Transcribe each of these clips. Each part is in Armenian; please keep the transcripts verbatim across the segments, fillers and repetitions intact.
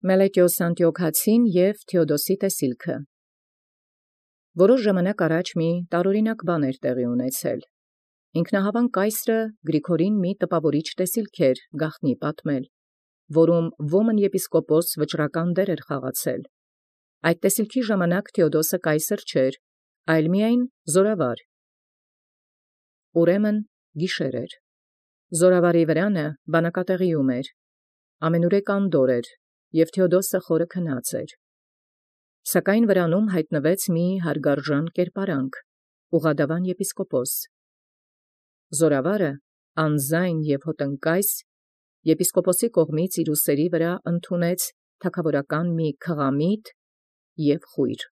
Մելետիոս Անտիոքացին և Թէոդոսի տեսիլքը։ Որոշ ժամանակ առաջ մի տարօրինակ բան էր տեղի ունեցել։ Ինքնահավան կայսրը Գրիգորին մի տպաւորիչ տեսիլք էր գաղտնի պատմել, որում ոմն եպիսկոպոս վճռական դեր էր խաղացել։ Այդ տեսիլքի ժամանակ Թէոդոսը կայսր չէր, այլ միայն զորավար։ Ուրեմն գիշեր էր։ Զորավարի վրանը բանակատեղիում էր, ամենուրեք անդոր էր, և Թէոդոսը խորը քնած էր։ Սակայն վրանում հայտնվեց մի հարգարժան կերպարանք, Ուղադավան եպիսկոպոս։ Զորավարը անձայն և հոտնկայս եպիսկոպոսի կողմից իր ուսերի վրա ընդունեց թագաւորական մի քղամիտ և խոյր։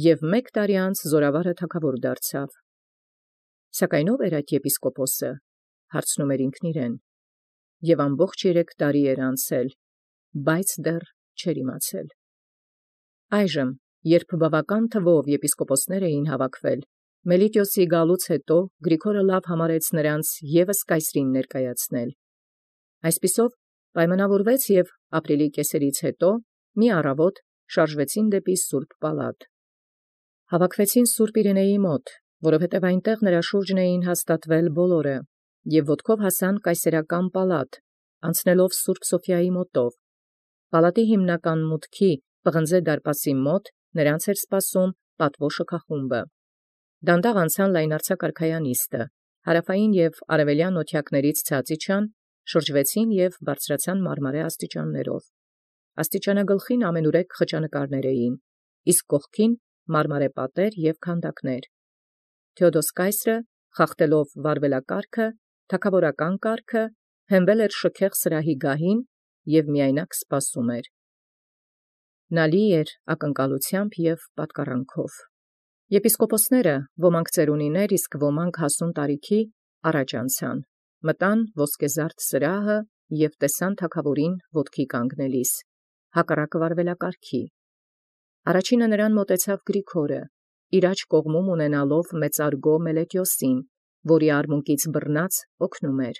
Եւ մեկ տարի անց զորավարը թագաւոր դարձավ։ Սակայն ո՞վ էր այդ եպիսկոպոսը, հարցնում էր ինքն իրեն, և ամբողջ երեք տարի էր անցել, բայց դեռ չէր իմացել։ Այժմ, երբ բավական թվով եպիսկոպոսներ էին հավաքվել, Մելիտիոսի գալուց հետո Գրիգորը լավ համարեց նրանց ևս կայսրին ներկայացնել։ Այսպիսով պայմանավորվեց և ապրիլի կեսերից հետո մի առավոտ շարժվեցին դեպի Սուրբ Պալատ։ Հավաքվեցին Սուրբ Իրինեի մոտ, որովհետև այնտեղ նրա շուրջն էին հաստատվել բոլորը, և ոտքով հասան կայսերական պալատ, անցնելով Սուրբ Սոֆիայի մոտով։ Պալատի հիմնական մուտքի պղնձե դարպասի մոտ նրանց էր սպասում պատվո շքախումբը։ Դանդաղ անցան լայնարձակ արքայանիստը, հարավային և արևելյան օթյակներից ցած իջան, շրջվեցին և բարձրացան մարմարե աստիճաններով։ Աստիճանագլխին ամենուրեք խճանկարներ էին, իսկ կողքին մարմարե պատեր և քանդակներ։ Թէոդոս կայսրը, խախտելով վարվելակարգը, թագաւորական կարգը, հենվել էր շքեղ սրահի գահին և միայնակ սպասում էր։ Նա լի էր ակնկալությամբ և պատկառանքով։ Եպիսկոպոսները, ոմանք ծերունիներ, իսկ ոմանք հասուն տարիքի, առաջ անցան, մտան ոսկեզարդ սրահը և տեսան թագաւորին ոտքի կանգնելիս, հակառակ վարվելակարգի։ Առաջինը նրան մոտեցավ Գրիգորը, իր աջ կողմում ունենալով մեծարգո Մելետիոսին, որի արմունկից բռնած օգնում էր։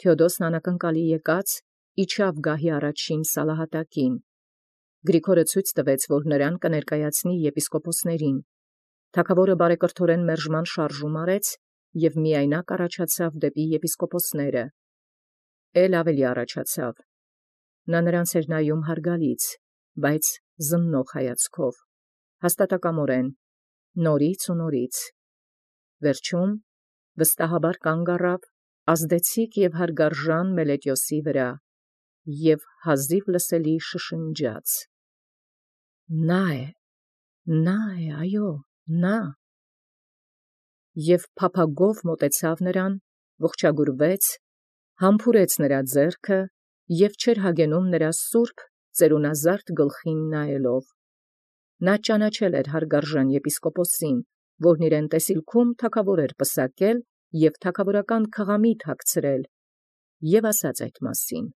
Թէոդոսն անակնկալի եկած իջավ գահի առաջին սալահատակին։ Գրիգորը ցույց տվեց, որ նրան կներկայացնի եպիսկոպոսներին։ Թագաւորը բարեկրթորեն մերժման շարժում արեց և միայնակ առաջացավ դեպի եպիսկոպոսները։ Էլ ավելի առաջացավ։ Նա նրանց էր նայում հարգալից, բայց զննող հայացքով, հաստատակամորեն, նորից ու նորից։ Վերջում վստահաբար կանգ առավ ազդեցիկ և հարգարժան Մելետիոսի վրա և հազիվ լսելի շշնջաց. «Նա է, նա է, այո, նա»։ Եւ փափագով մոտեցավ նրան, ողջագուրվեց, համբուրեց նրա ձեռքը և չէր հագենում նրա սուրբ ծերունազարդ գլխին նայելով։ Նա ճանաչել էր հարգարժան եպիսկոպոսին, որն իրեն տեսիլքում թագաւոր էր պսակել և թագաւորական քղամիտ հագցրել, և ասաց այդ մասին։